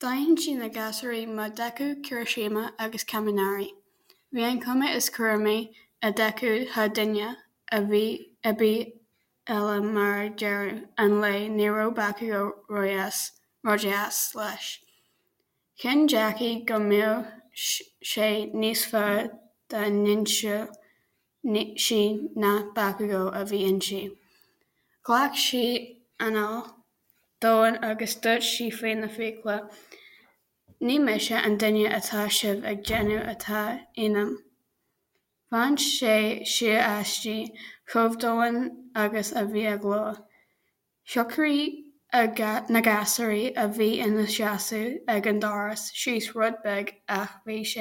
D'aithin sí na gasúir mar Deku, Kirishima agus Kaminari. Bhí an chuma is cúramaí ar Deku thar duine ar bith eile mar ag deireadh an lae ní raibh Bakugo ródheas leis. Chinn Jackie go mbeadh sé níos fearr dá n-inseodh sí nach Bakugo a bhí inti. Ghlac sí anáil domhain agus dúirt sí faoina fiacla "Ní mise an duine atá sibh ag déanamh atá ionam." Bhain sé siar aisti, chomh domhain agus a bhí a glór. Shocraigh na gasúir a bhí ina seasamh ag an doras síos rud beag ach bhí sé.